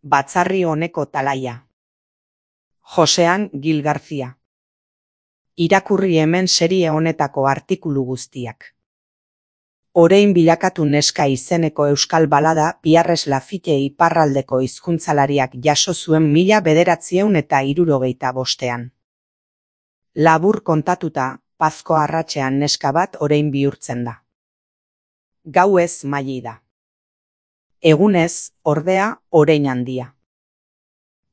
Batzarri honeko talaia. Josean Gil Garcia. Irakurri hemen serie honetako artikulu guztiak. Orein bilakatu neska izeneko euskal balada Pierres Lafitte iparraldeko hizkuntzalariak jaso zuen 1965. Labur kontatuta, pazko arratsean neska bat orein bihurtzen da. Gauez maili da. Egunez, ordea, orein handia.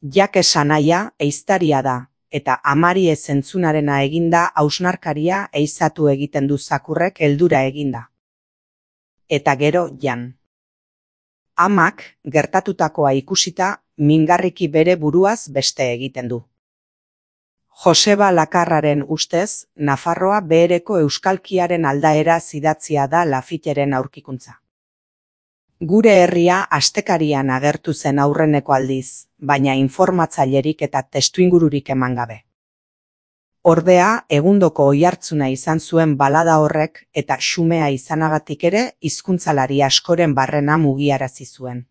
Jak esanaia ehiztaria da, eta amari ez entzunarena eginda hausnarkaria ehizatu egiten du zakurrek heldura eginda. Eta gero jan. Amak, gertatutakoa ikusita, mingarriki bere buruaz beste egiten du. Joseba Lakarraren ustez, Nafarroa behereko euskalkiaren aldaera zidatzia da Lafitteren aurkikuntza. Gure herria astekarian agertu zen aurreneko aldiz, baina informatzailerik eta testuingururik eman gabe. Ordea, egundoko oihartzuna izan zuen balada horrek eta xumea izanagatik ere hizkuntzalari askoren barrena mugiarazi zuen.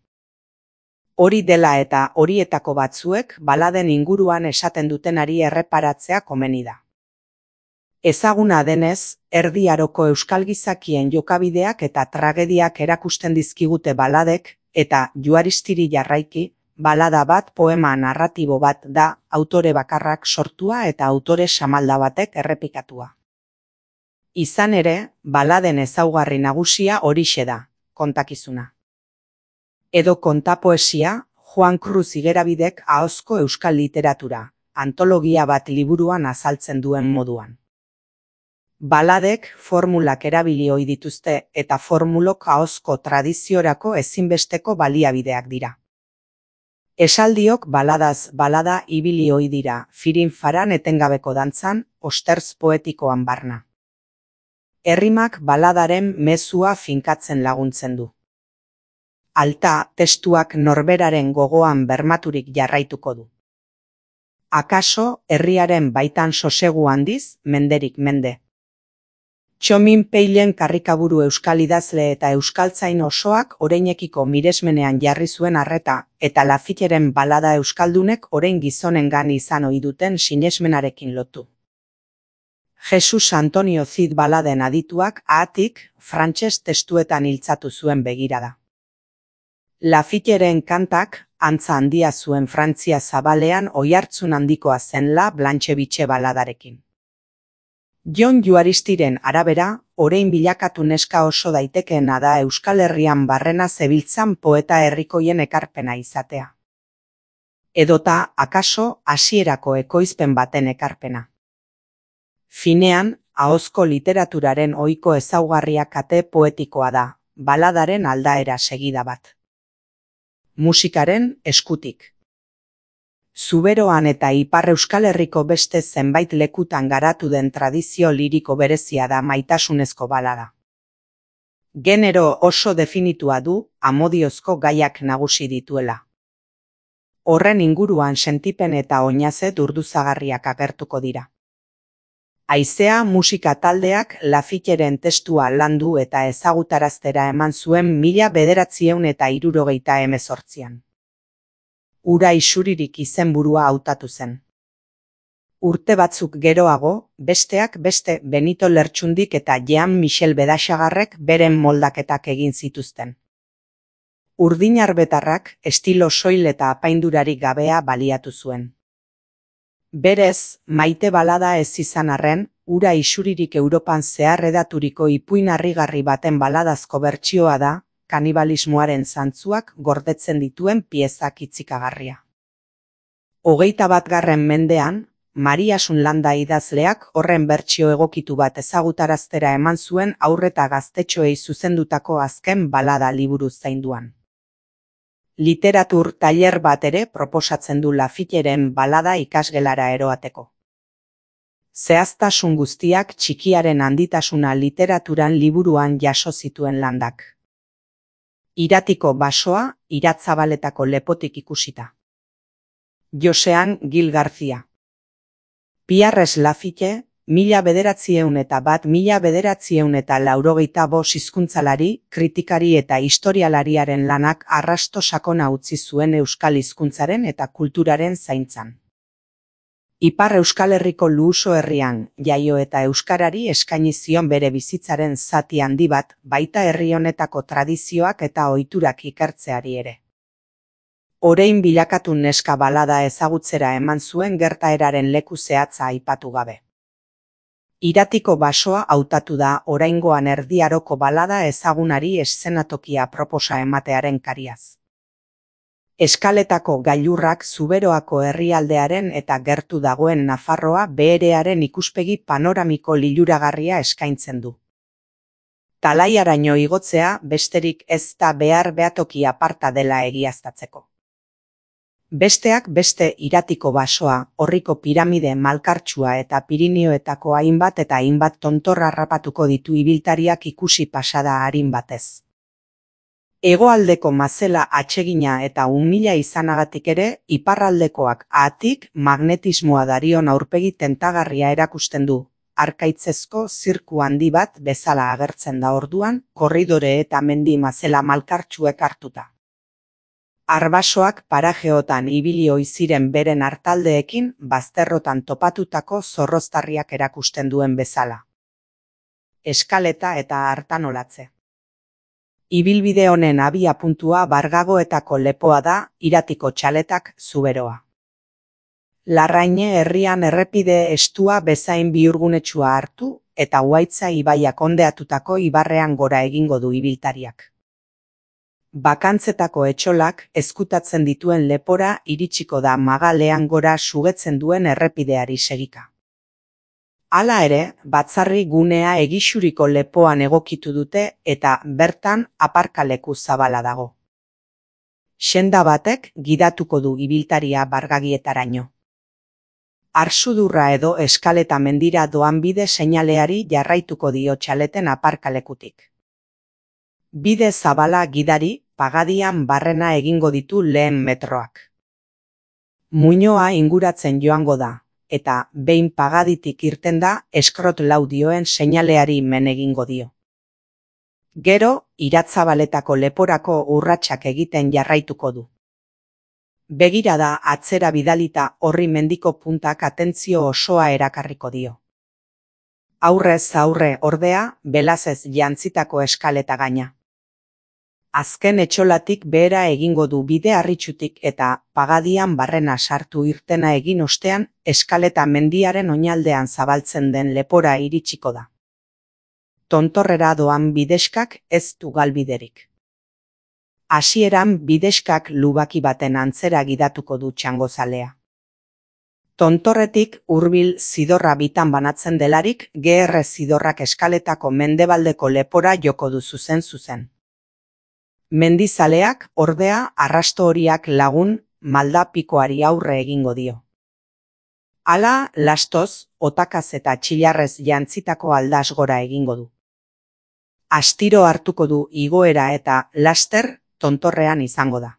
Hori dela eta horietako batzuek baladen inguruan esaten dutenari erreparatzea komeni da. Ezaguna denez, Erdi Aroko euskal gizakien jokabideak eta tragediak erakusten dizkigute baladek, eta Juaristiri jarraiki, balada bat poema narratibo bat da autore bakarrak sortua eta autore samalda batek errepikatua. Izan ere, baladen ezaugarri nagusia horixe da, kontakizuna. Edo kontapoesia, Juan Cruz Igerabidek ahozko euskal literatura, antologia bat liburuan azaltzen duen moduan. Baladek formulak erabili ohi dituzte eta formulok ahozko tradiziorako ezinbesteko baliabideak dira. Esaldiok baladaz balada ibili ohi dira, firin-faran etengabeko dantzan, ostertz poetikoan barna. Errimak baladaren mezua finkatzen laguntzen du. Alta, testuak norberaren gogoan bermaturik jarraituko du. Akaso, herriaren baitan sosegu handiz, menderik mende. Txomin Peilen karrikaburu euskal idazle eta euskaltzain osoak oreinekiko miresmenean jarri zuen arreta, eta Lafitteren balada euskaldunek orein gizonengan izan ohi duten sinesmenarekin lotu. Jesus Antonio Cid baladen adituak haatik frantses testuetan iltzatu zuen begirada. Lafitteren kantak antza handia zuen Frantzia zabalean oihartzun handikoa zen La Blanche Bitche baladarekin. Jon Juaristiren arabera, orein bilakatu neska oso daitekeena da Euskal Herrian barrena zebiltzan poeta herrikoien ekarpena izatea. Edota, akaso, hasierako ekoizpen baten ekarpena. Finean, ahozko literaturaren ohiko ezaugarria kate poetikoa da, baladaren aldaera segida bat. Musikaren eskutik. Zuberoan eta Ipar Euskal Herriko beste zenbait lekutan garatu den tradizio liriko berezia da maitasunezko balada. Genero oso definitua du, amodiozko gaiak nagusi dituela. Horren inguruan sentipen eta oinaze durduzagarriak agertuko dira. Haizea musika taldeak Lafitteren testua landu eta ezagutaraztera eman zuen 1978an. Ura isuririk izenburua hautatu zen. Urte batzuk geroago, besteak beste Benito Lertxundik eta Jean-Michel Bedaxagarrek beren moldaketak egin zituzten. Urdinarbetarrak estilo soil eta apaindurarik gabea baliatu zuen. Berez, maite balada ez izan arren, ura isuririk Europan zehar edaturiko ipuin harrigarri baten baladazko bertsioa da, kanibalismoaren zantzuak gordetzen dituen piezak itzikagarria. 21. mendean, Mariasun Landa idazleak horren bertsio egokitu bat ezagutaraztera eman zuen haur eta gaztetxoei zuzendutako azken balada liburu zainduan. Literatur tailer bat ere proposatzen du Lafitteren balada ikasgelara eroateko. Zehaztasun guztiak txikiaren handitasuna literaturan liburuan jaso zituen Landak. Iratiko basoa, iratzabaletako lepotik ikusita. Josean Gil Garcia. Pierres Lafitte, 1901–1985 hizkuntzalari, kritikari eta historialariaren lanak arrasto sakona utzi zuen euskal hizkuntzaren eta kulturaren zaintzan. Ipar Euskal Herriko Luuso herrian jaio eta euskarari eskaini zion bere bizitzaren zati handi bat, baita herri honetako tradizioak eta ohiturak ikertzeari ere. Orain bilakatu neska balada ezagutzera eman zuen gertaeraren leku zehatza aipatu gabe. Iratiko basoa hautatu da oraingoan Erdi Aroko balada ezagunari eszenatokia proposa ematearen kariaz. Eskaletako gailurrak Zuberoako herrialdearen eta gertu dagoen Nafarroa beherearen ikuspegi panoramiko liluragarria eskaintzen du. Talaiaraino igotzea besterik ez da behar behatoki aparta dela egiaztatzeko. Besteak beste Iratiko basoa, Orriko piramide malkartsua eta Pirinioetako hainbat eta hainbat tontor harrapatuko ditu ibiltariak ikusi pasada arin batez. Hegoaldeko mazela atsegina eta umila izanagatik ere, iparraldekoak ahatik magnetismoa darion aurpegi tentagarria erakusten du, arkaitzezko zirku handi bat bezala agertzen da orduan, korridore eta mendi mazela malkartsuek hartuta. Arbasoak parajeotan ibili ohi ziren beren artaldeekin bazterrotan topatutako zorroztarriak erakusten duen bezala. Eskaleta eta artanolatze. Ibilbide honen abia puntua Bargagoetako lepoa da, Iratiko txaletak Zuberoa. Larraine herrian errepide estua bezain bihurgunetsua hartu eta Uhaitza ibaiak ondeatutako ibarrean gora egingo du ibiltariak. Bakantzetako etxolak ezkutatzen dituen lepora iritsiko da magalean gora sugetzen duen errepideari segika. Hala ere, batzarri gunea egixuriko lepoan egokitu dute eta bertan aparkaleku zabala dago. Senda batek gidatuko du ibiltaria Bargagietaraino. Arsudurra edo Eskaleta mendira doan bide seinaleari jarraituko dio txaleten aparkalekutik. Bide zabala gidari, Pagadian barrena egingo ditu lehen metroak. Muinoa inguratzen joango da, eta behin Pagaditik irten da, eskrot laudioen seinaleari men egingo dio. Gero, Iratzabaletako leporako urratsak egiten jarraituko du. Begirada atzera bidalita horri mendiko puntak atentzio osoa erakarriko dio. Aurrez aurre ordea, belazez jantzitako eskaleta gaina. Azken etxolatik behera egingo du bide harritsutik eta Pagadian barrena sartu irtena egin ostean Eskaleta mendiaren oinaldean zabaltzen den lepora iritsiko da. Tontorrera doan bideskak ez du galbiderik. Hasieran bideskak lubaki baten antzera gidatuko du txangozalea. Tontorretik hurbil zidorra bitan banatzen delarik, GR zidorrak Eskaletako mendebaldeko lepora joko du zuzen. Mendizaleak, ordea, arrasto horiak lagun, maldapikoari aurre egingo dio. Hala, lastoz, otakaz eta txilarrez jantzitako aldaz gora egingo du. Astiro hartuko du igoera eta laster tontorrean izango da.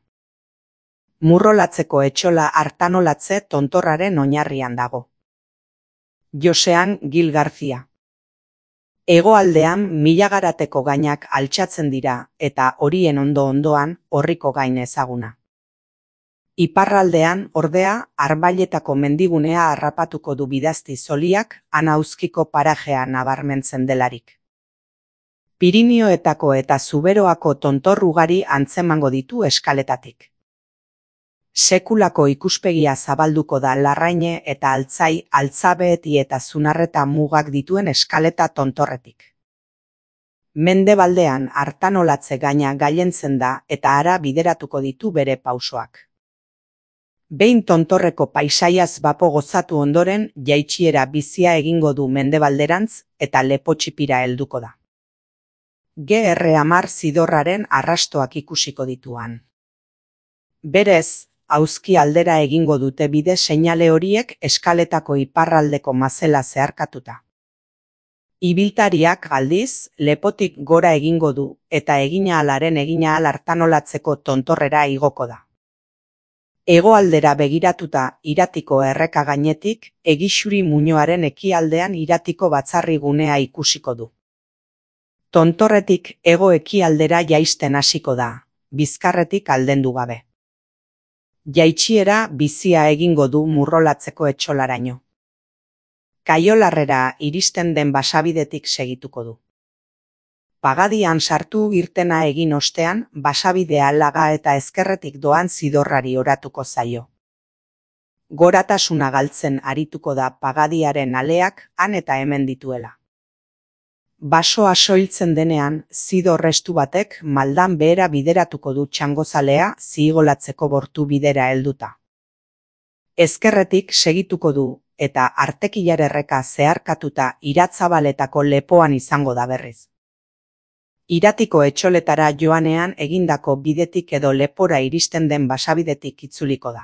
Murrolatzeko etxola artanolatze tontorraren oinarrian dago. Josean Gil Garcia. Hegoaldean Milagarateko gainak altxatzen dira eta horien ondo-ondoan Orriko gain ezaguna. Iparraldean, ordea, Arbailetako mendigunea harrapatuko du bidazti zoliak Anauzkiko parajea nabarmentzen delarik. Pirinioetako eta Zuberoako tontor ugari antzemango ditu Eskaletatik. Sekulako ikuspegia zabalduko da Larraine eta Altzai, Altzabeeti eta Zunarreta mugak dituen Eskaleta tontorretik. Mendebaldean artanolatze gaina gailentzen da eta hara bideratuko ditu bere pausoak. Behin tontorreko paisaiaz bapo gozatu ondoren jaitsiera bizia egingo du mendebalderantz eta lepo txipira helduko da. GR10 zidorraren arrastoak ikusiko dituan. Berez, Auzki aldera egingo dute bide seinale horiek Eskaletako iparraldeko mazela zeharkatuta. Ibiltariak aldiz, lepotik gora egingo du eta egina alaren egina al artanolatzeko tontorrera igoko da. Hegoaldera begiratuta Iratiko erreka gainetik, Egixuri muinoaren ekialdean Iratiko batzarri gunea ikusiko du. Tontorretik hego-ekialdera jaisten hasiko da, bizkarretik aldendu gabe. Jaitsiera bizia egingo du Murrolatzeko etxolaraino. Kaiolarrera iristen den basabidetik segituko du. Pagadian sartu irtena egin ostean, basabidea laga eta ezkerretik doan zidorrari oratuko zaio. Goratasuna galtzen arituko da Pagadiaren aleak han eta hemen dituela. Basoa soiltzen denean, zidor estu batek maldan behera bideratuko du Txangozalea Zigolatzeko bortu bidera helduta. Ezkerretik segituko du, eta Artekilar erreka zeharkatuta Iratzabaletako lepoan izango da berriz. Iratiko etxoletara joanean egindako bidetik edo lepora iristen den basabidetik itzuliko da.